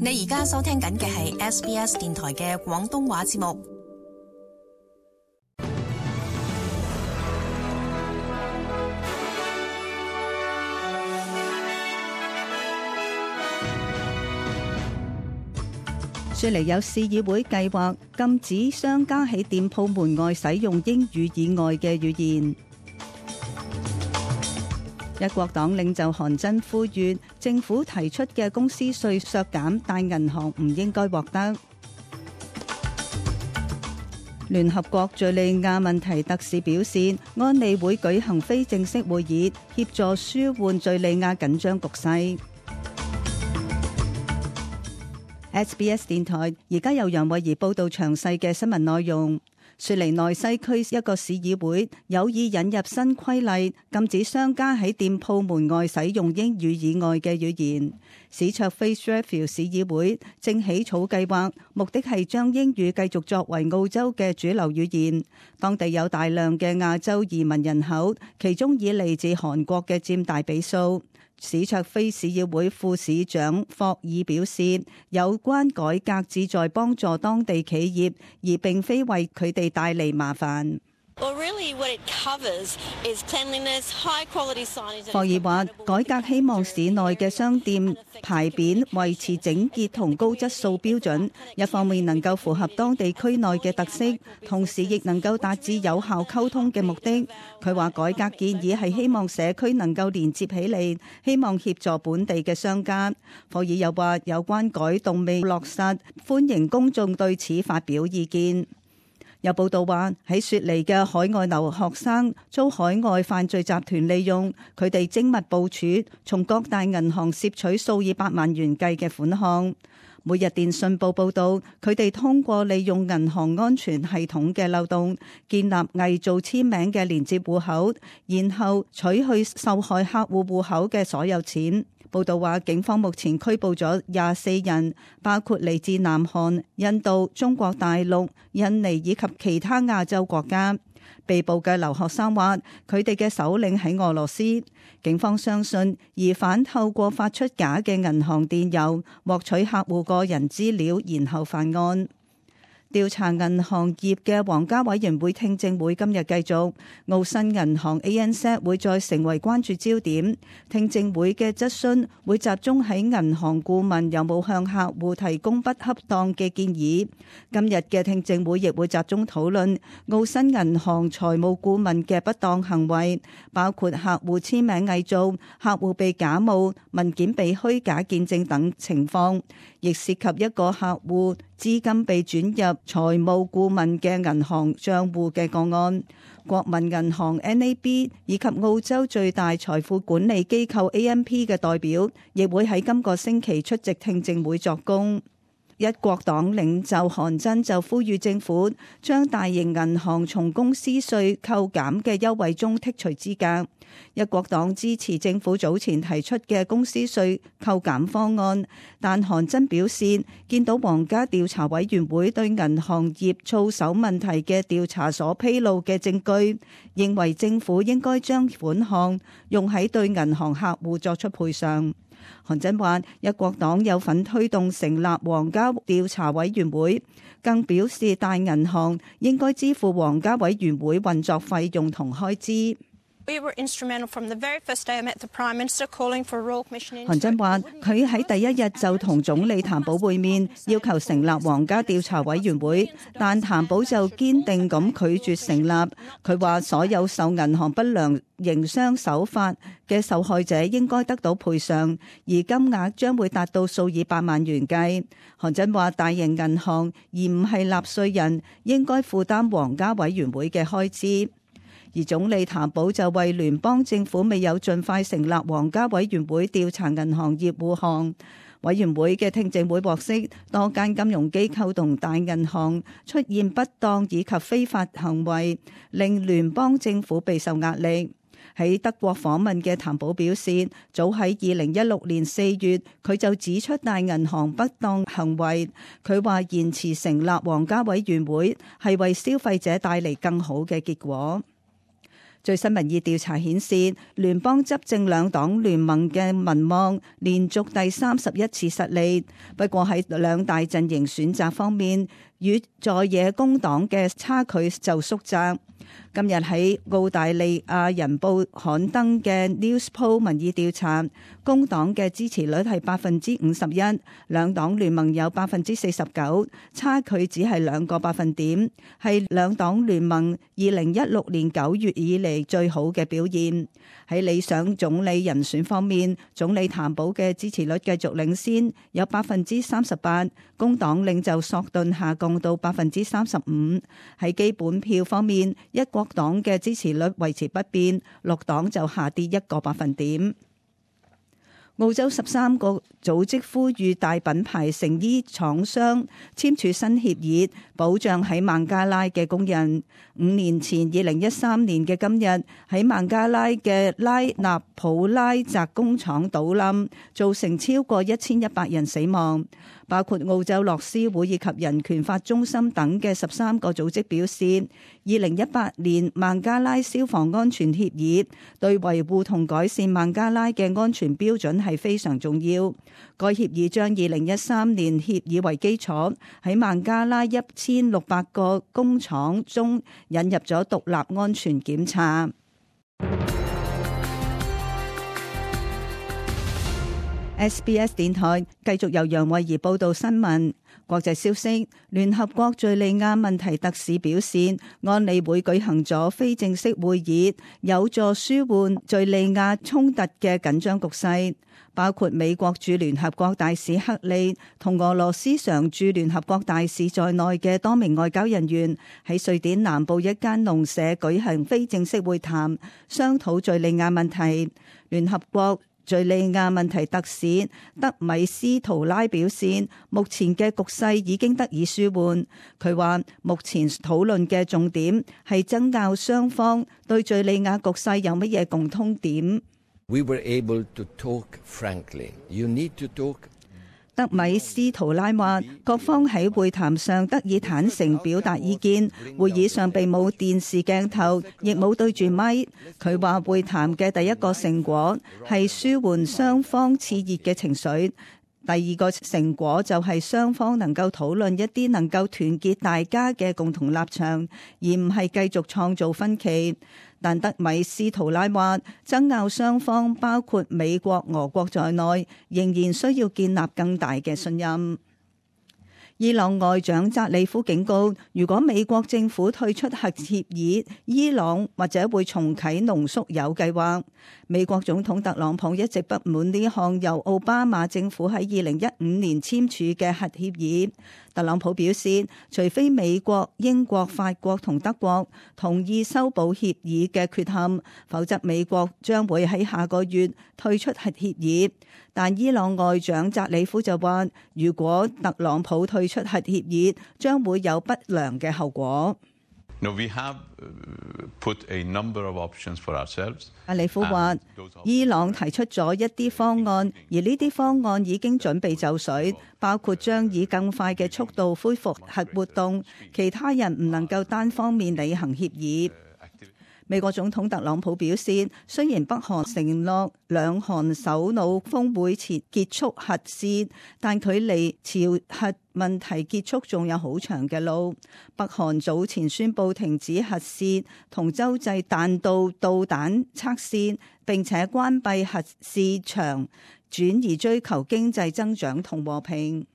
你而家收聽緊嘅係 SBS 電台嘅廣東話節目。雪梨有市議會計劃禁止商家喺店鋪門外使用英語以外嘅語言。一國黨領袖韓真呼籲政府提出嘅公司稅削減大銀行唔應該獲得。聯合國敘利亞問題特使表示，安理會舉行非正式會議，協助舒緩敘利亞緊張局勢。SBS 電台而家由楊慧儀報道詳細嘅新聞內容。雪梨內西區一個市議會有意引入新規例，禁止商家喺店鋪門外使用英語以外嘅語言。史卓菲 Strathfield 市議會正起草計劃，目的係將英語繼續作為澳洲嘅主流語言。當地有大量嘅亞洲移民人口，其中以嚟自韓國嘅佔大比數。史卓菲市議會副市長霍爾表示，有關改革旨在幫助當地企業，而並非為佢哋帶嚟麻煩。霍爾話，改革希望市內嘅商店牌匾維持整潔同高質素標準，一方面能夠符合當地區內嘅特色，同時亦能夠達至有效溝通嘅目的。佢話改革建議係希望社區能夠連接起嚟，希望協助本地嘅商家。霍爾又話，有關改動未落實，歡迎公眾對此發表意見。有報道話，喺雪梨嘅海外留學生遭海外犯罪集團利用，佢哋精密部署，從各大銀行攝取數以百萬元計嘅款項。每日電訊報報道，佢哋通過利用銀行安全系統嘅漏洞，建立偽造簽名嘅連接戶口，然後取去受害客戶戶口嘅所有錢。報道話，警方目前拘捕咗24人，包括嚟自南韓、印度、中國大陸、印尼以及其他亞洲國家。被捕嘅留學生話，佢哋嘅首領喺俄羅斯。警方相信疑犯透過發出假嘅銀行電郵，獲取客戶個人資料，然後犯案。調查銀行業嘅皇家委員會聽證會今日繼續，澳新銀行 ANZ 會再成為關注焦點。聽證會嘅質詢會集中喺銀行顧問有冇向客戶提供不恰當嘅建議。今日嘅聽證會亦會集中討論澳新銀行財務顧問嘅不當行為，包括客戶簽名偽造、客戶被假冒、文件被虛假見證等情況，亦涉及一個客戶資金被轉入財務顧問嘅銀行賬戶嘅個案。國民銀行 NAB 以及澳洲最大財富管理機構 AMP 嘅代表亦會喺今個星期出席聽證會作供。一國黨領袖韓真就呼籲政府將大型銀行從公司稅扣減嘅優惠中剔除資格。一國黨支持政府早前提出嘅公司稅扣減方案，但韓真表示，見到皇家調查委員會對銀行業操守問題嘅調查所披露嘅證據，認為政府應該將款項用喺對銀行客戶作出賠償。韓真話，一國黨有份推動成立皇家調查委員會，更表示大銀行應該支付皇家委員會運作費用同開支。韓真話，佢喺第一日就同總理譚寶會面，要求成立皇家調查委員會，但譚寶就堅定咁拒絕成立。佢話所有受銀行不良營商手法嘅受害者應該得到賠償，而金額將會達到數以百萬元計。韓真話，大型銀行而唔係納稅人應該負擔皇家委員會嘅開支。而總理譚寶就為聯邦政府未有盡快成立皇家委員會調查銀行業護航。委員會嘅聽證會獲悉，多間金融機構同大銀行出現不當以及非法行為，令聯邦政府備受壓力。喺德國訪問嘅譚寶表示，早喺2016年4月，佢就指出大銀行不當行為。佢話延遲成立皇家委員會係為消費者帶嚟更好嘅結果。最新民意調查顯示，聯邦執政兩黨聯盟嘅民望連續第31次失利。不過喺兩大陣營選擇方面，與在野工黨嘅差距就縮窄。今日喺澳大利亞人報刊登嘅 Newspoll 民意調查，工黨嘅支持率係51%，兩黨聯盟有49%，差距只係2個百分點，係兩黨聯盟2016年9月以嚟最好嘅表現。喺理想總理人選方面，總理譚寶嘅支持率繼續領先，有38%，工黨領袖索頓下降到35%。喺基本票方面，一國黨嘅支持率維持不變，綠黨就下跌1個百分點。澳洲13個組織呼籲大品牌成衣廠商簽署新協議，保障喺孟加拉嘅工人。5年前2013年嘅今日，喺孟加拉嘅拉納普拉澤工廠倒冧，造成超過1100人死亡。包括澳洲樂施會以及人權法中心等嘅13個組織表示，2018年孟加拉消防安全協議對維護同改善孟加拉嘅安全標準係非常重要。該協議將2013年協議為基礎，喺孟加拉1600個工廠中引入咗獨立安全檢查。SBS 電台繼續由楊慧儀報道新聞。國際消息，聯合國敘利亞問題特使表示，安理會舉行咗非正式會議，有助舒緩敘利亞衝突嘅緊張局勢。包括美國駐聯合國大使克利同俄羅斯常駐聯合國大使在內嘅多名外交人員喺瑞典南部一間農舍舉行非正式會談，商討敘利亞問題。聯合國敘利亞問題特使德米斯圖拉表示，目前嘅局勢已經得以舒緩。佢話，目前討論嘅重點係爭拗雙方對敘利亞局勢有乜嘢共通點。We were able to talk frankly. You need to talk. 德米斯圖拉話，各方喺會談上得以坦誠表達意見，會議上並冇電視鏡頭，亦冇對住咪。佢話會談嘅第一個成果係舒緩雙方熾熱嘅情緒，第二個成果就係雙方能夠討論一啲能夠團結大家嘅共同立場，而唔係繼續創造分歧。但德米斯圖拉話，爭拗雙方包括美國、俄國在內，仍然需要建立更大嘅信任。伊朗外長扎里夫警告，如果美國政府退出核協議，伊朗或者會重啟濃縮鈾計劃。美國總統特朗普一直不滿呢項由奧巴馬政府喺2015年簽署嘅核協議。特朗普表示，除非美國、英國、法國同德國同意修補協議嘅缺陷，否則美國將會喺下個月退出核協議。但伊朗外長扎里夫就話，如果特朗普退出核協議，將會有不良嘅後果。No, we have put a number of options for ourselves. 扎里夫話，伊朗提出咗一啲方案，而呢啲方案已經準備就緒，包括將以更快嘅速度恢復核活動，其他人唔能夠單方面履行協議。美國總統特朗普表示，雖然北韓承諾兩韓首腦峰會前結束核試，但距離朝核問題結束仲有好長嘅路。北韓早前宣布停止核試同洲際彈道導彈測試，並且關閉核試場，轉而追求經濟增長同和平。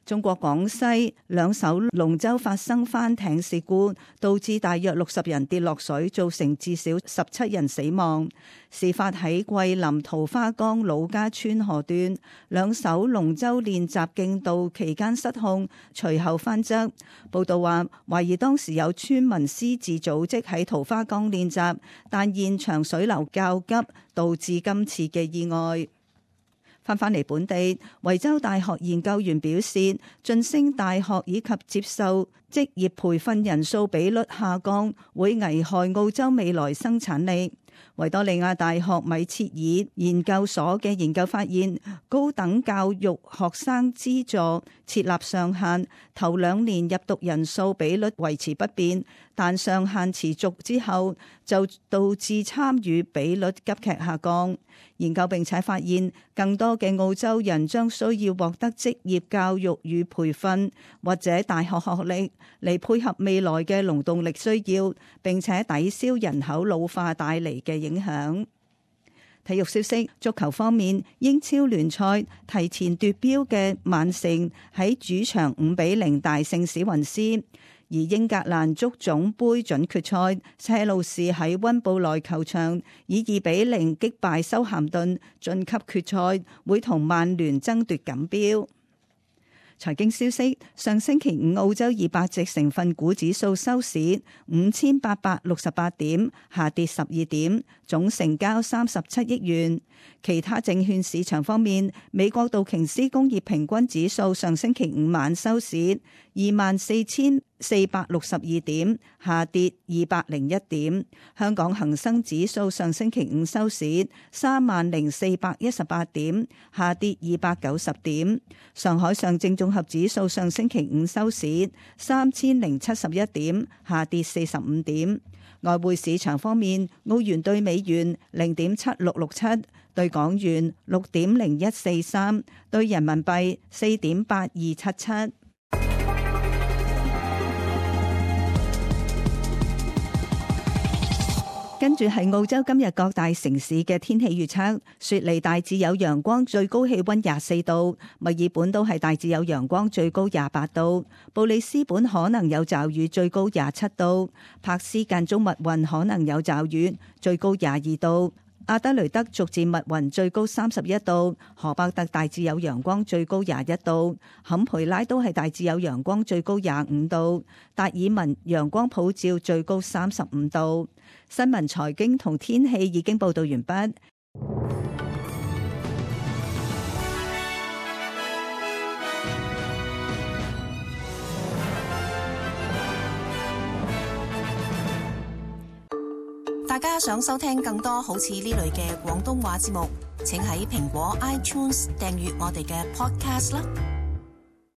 中國廣西兩艘龍舟發生翻艇事故，導致大約60人跌落水，造成至少17人死亡。事發喺桂林桃花江老家村河段，兩艘龍舟練習競渡期間失控，隨後翻側。報道話，懷疑當時有村民私自組織喺桃花江練習，但現場水流較急，導致今次嘅意外。返嚟本地，維州大學研究員表示，晉升大學以及接受職業培訓人數比率下降，會危害澳洲未來生產力。維多利亞大學米切爾研究所嘅研究發現，高等教育學生資助設立上限，頭2年入讀人數比率維持不變，但上限持續之後就導致參與比率急劇下降。研究並且發現，更多嘅澳洲人將需要獲得職業教育與培訓或者大學學歷嚟配合未來嘅勞動力需要，並且抵消人口老化帶嚟嘅影響。體育消息，足球方面，英超聯賽提前奪標嘅曼城喺主場5-0大勝史雲斯。而英格蘭足總杯準決賽，車路士喺溫布萊球場以2-0擊敗修咸頓，晉級決賽，會同曼聯爭奪錦標。財經消息，上星期五澳洲200隻成分股指數收市5868點，下跌12點，總成交37億元。其他證券市場方面，美國道瓊斯工業平均指數上星期五晚收市24,462點，下跌201點。香港恒生指數上星期五收市30,418點，下跌290點。上海上證綜合指數上星期五收市3071點，下跌45點。外匯市場方面，澳元對美元0.7667，對港元6.0143，對人民幣4.8277。跟住係澳洲今日各大城市嘅天氣預測：雪梨大致有陽光，最高氣溫24度；墨爾本都係大致有陽光，最高28度；布里斯本可能有驟雨，最高27度；柏斯間中密雲，可能有驟雨，最高22度；阿德雷德逐漸密雲，最高31度；荷伯特大致有陽光，最高21度；坎培拉都係大致有陽光，最高25度；達爾文陽光普照，最高35度。新聞、財經同天氣已經報道完畢。大家想收聽更多好似呢類嘅廣東話節目，請喺蘋果 iTunes 訂閱我哋嘅 Podcast 啦。